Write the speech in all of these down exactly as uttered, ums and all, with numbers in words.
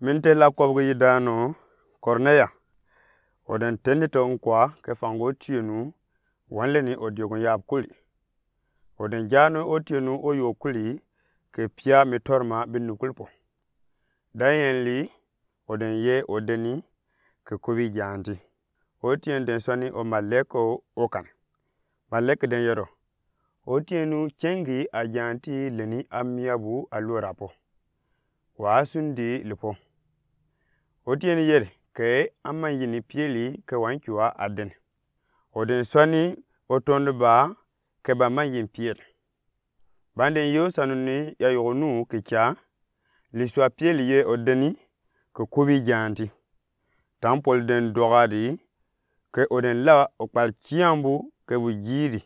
Min te la kɔbgi yi daanɔ Kɔrneya. Ɔ den teni tɔ nkwa kɛ fanga otienu wanlɛni ɔ diɔgɔn yab kuli. Ɔ den jaanɔ otienu ɔ yoo kuli kɛ pia mi tɔrma binub kuli pɔ. Dayɛnli ɔ den yɛ ɔ deni kɛ kobi jaanti. Otien den sɔni ɔ malɛk ɔ kan. Malɛk den yɛrɔ: Otienu cɛngi ajaanti lɛni amiabu aluɔ rapɔ. Wa sundi lipɔ. Otien yɛri kɛ amanyin Piɛli kɛ wancua aden. Ɔ den sɔni ɔ tɔni ba kɛ ba manyin Piɛli. Banden yɛ osanu ni yayɔgɔ nu kɛ ca, lisua Piɛli yɛ ɔ deni kɛ kobi jaanti. Tampɔl den dɔgadi kɛ ɔ den la ɔ kpal ciambu kɛ bu jiidi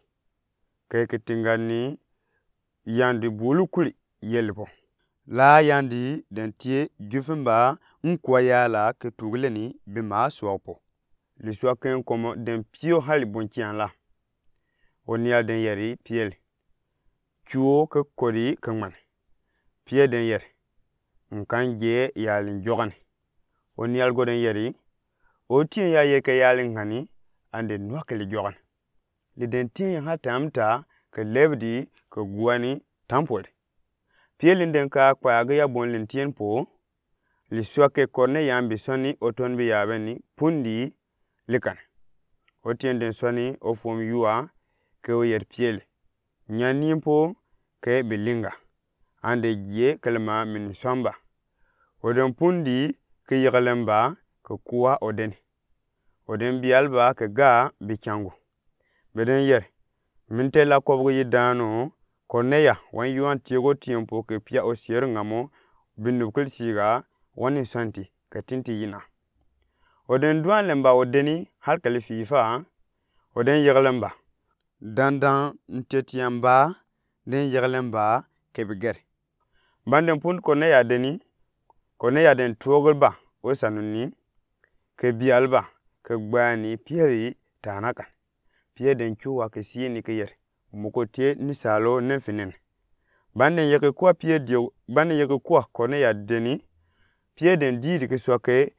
kɛ kɛ tinga ni yandi bulu kuli yɛli pɔ. La yandi den tie jufimba nkua yala kɛ tugilɛni bi maa suɔg pɔ. Lisua kɛ nkɔmɔ den pio hali bon cian la. Ɔ nial den yɛri Piɛli: Cuo kɛ kɔdi kɛ ŋmani. Piɛli den yɛri: Nkan jɛ yali jɔgani. Ɔ nial gɔ den yɛri: Otien ya yɛri kɛ yali ŋani, ande nuakɛ li jɔgani. Li den tien ya ha tamta kɛ lɛbidi kɛ guani tampɔl. Piɛli den ka kpaagi ya bon lin tien pɔ. Lisua kɛ Kɔrneya bi sɔni ɔ tɔni bi yabɛni pundi likan. Otien den sɔni ɔ fom yua kɛ ɔ yɛri Piɛli: Nyani pɔ kɛ bilinga. Ande jie kɛlɛma min sɔmba. Ɔ den pundi kɛ yɛgɛlɛmba kɛ kua ɔ deni. Ɔ den bialba kɛ ga bi cangu. Bɛ den yɛri: Min te la kɔbgi yi daanɔ Kɔrneya, wan yuan tiegɔ tiempo kɛ pia ɔ sier ŋamɔ binub kili siga wani sɔnti kɛ tinti yina. Ɔ den duanlɛmba ɔ deni hali kɛli fiifa. Ɔ den yɛgɛlɛmba. Dandan ntiɛtiɛmba den yɛgɛlɛmba kɛ bi gɛri. Banden pundi Kɔrneya deni, Kɔrneya den tuɔgilba osanu ni kɛ bialba kɛ gbani Piɛli taana kan. Piɛli den cuwa kɛ siini kɛ yɛri: Mɔ ko te ni salo nɛn fi nɛn. Banden yɛkɛ kua Piɛli dio, banden yɛkɛ kua Kɔrneya deni, Piɛli den diidi kɛ sua kɛ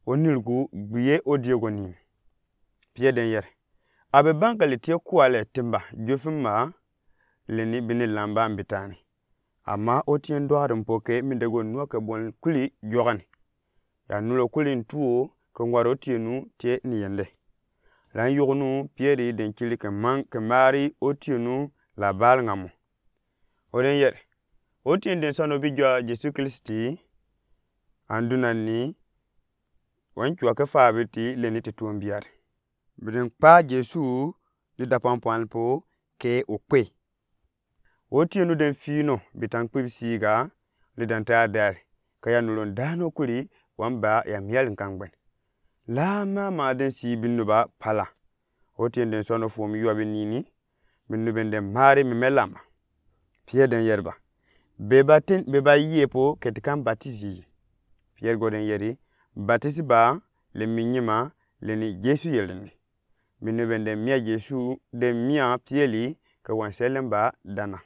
ɔ nilgu gbiɛ ɔ diogɔ nin. Piɛli den yɛri: Abɛ bankali te kua lɛ timba jufimba lɛni bini lamba mbitani. Ama otien dɔgadi pɔ kɛ mindɛ gɔ nuakɛ bon kuli jɔgani. Ya nulɔ kuli ntuɔ kɛ ŋwar otienu te ni yɛndɛ. Lan yɔgɔ nu Piɛli den kili kɛ man kɛ mari otienu la bal ŋamɔ. Ɔ den yɛri: Otien den sɔni ɔ bi jɔa Jesu Kilisti, anduna ni wancua kɛ fabiti lɛni ti tuɔmbiat. Bi den kpa Jesu li dapɔnpɔn pɔ kɛ ɔ kpe. Otienu den fino bi tan kpib siga li dan ta dare kɛ ya nulɔ daanɔ kuli wan ba ya mial nkangbɛn. La mama den si binub ba pala. Otien den sɔni ɔ fom yua bi nini. Binub ben den mari mimɛ lama. Piɛli den yɛri ba: Bɛ ba tin, bɛ ba yie pɔ kɛ ti kan batisi yi? Piɛli gɔ den yɛri: Batisi ba lɛ mi nyima lɛni Jesu yɛlɛ ni. Binub ben den mia Jesu, den mia Piɛli kɛ wan sɛlɛmba dana.